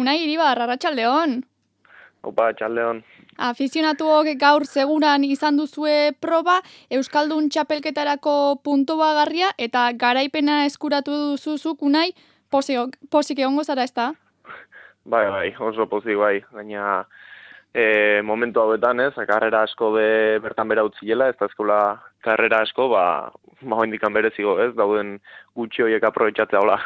Unai Iribar, arratsaldeon. Opa, txaldeon. Afizionatuok gaur seguran izan duzue proba, Euskaldun txapelketarako puntuagarria eta garaipena eskuratu duzuzuk, Unai, pozik egongo zara, ezta? Bai, oso pozik bai. Gaina momentu hauetan, ez, karrera asko bertan bera utziela, ez da eskola karrera asko, indikan berezigo, ez, dauden gutxi horiek aprobetxatzea hola.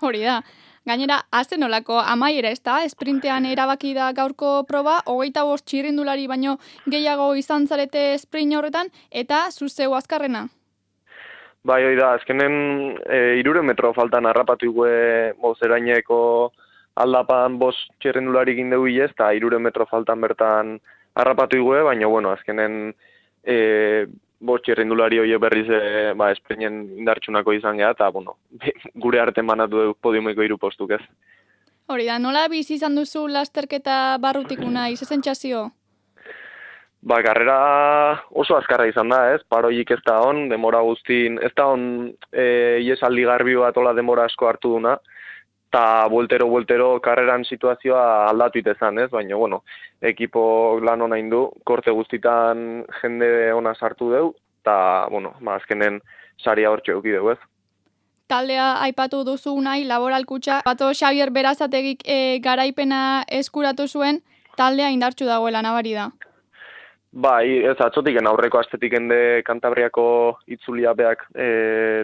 Hori da. Gainera, azten olako amaiera, ez da? Esprintean erabaki da gaurko proba, 25 txirrindulari baino gehiago izan zarete sprint horretan, eta zuzeu azkarrena. Bai, hori da, azkenen 300 metro faltan harrapatu igue bozeraineko aldapan 5 txirrindulari gindegu hilez, eta 300 metro faltan bertan harrapatu igue, baina, bueno, azkenen 5 txirrindulari horiek berriz esprinen indartxunako izan geha, eta, bueno, gure artean banatu dugu podiumeko 3 postuk, ez. Hori da, nola bizi izan duzu lasterketa barrutik, Unai, ze sentsazio? Karrera oso azkarra izan da, ez, paroik ez da hon, demora guztin, ez da hon iesaldi garbi bat ola demora asko hartu duna, eta bueltero karreran situazioa aldatu itezan, ez, baina, bueno, ekipo lan hona indu, korte guztitan jende ona sartu deu, eta, bueno, azkenen saria hortxe euki deu, ez. Taldea aipatu duzu, Unai, Laboral Kutxa, bato Xabier Berazategik garaipena eskuratu zuen, taldea indartsu dagoela nabari da. Bai, ez atzotiken aurreko astetik ende Kantabriako itzulia beak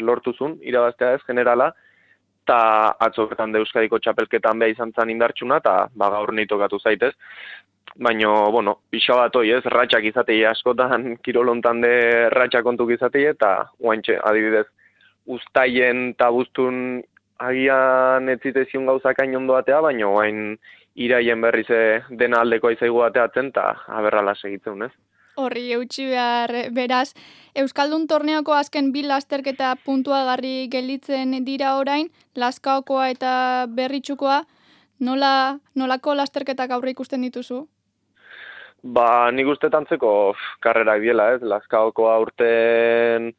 lortu zuen, irabaztea ez, generala, eta atzoketan de Euskadiko txapelketan beha izan zan indartsuna, eta gaur nahi tokatu zaitez. Baina, bueno, pixa bat hoi ez, ratxak izatei askotan, kirolontan de ratxak kontuk izatei, eta guantxe, adibidez, uztaien eta buztun agian ez zitezion gauzakain ondoatea, baina guain iraien berriz dena aldeko aizaigu bateatzen, eta aberrala segitzen, ez? Horri eutxi behar, beraz, Euskaldun torneoko azken 2 lasterketa puntuagarri gelditzen dira orain, Lazkaokoa eta Berritxukoa, nolako lasterketak aurre ikusten dituzu? Nik uste tantzeko karrerak diela, ez? Lazkaokoa urten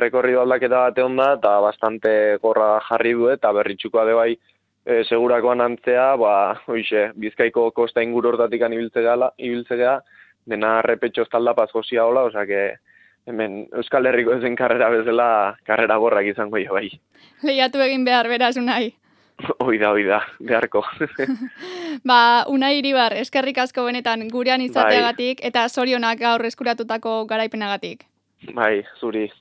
rekorrido aldaketa bate onda, eta bastante gorra jarri du, eta Berritxukoa de bai segurakoan antzea, hoize, Bizkaiko kosta inguru hortatik ibiltzea, dena repetxo estaldapaz gozia hola, osake hemen Euskal Herriko ezen karrera bezala, karrera gorrak izango jo bai. Lehiatu egin behar, beraz, Unai. Oida, beharko. Unai Iribar, eskerrik asko benetan gurean izateagatik, eta zorionak gaur eskuratutako garaipenagatik. Bai, zuri.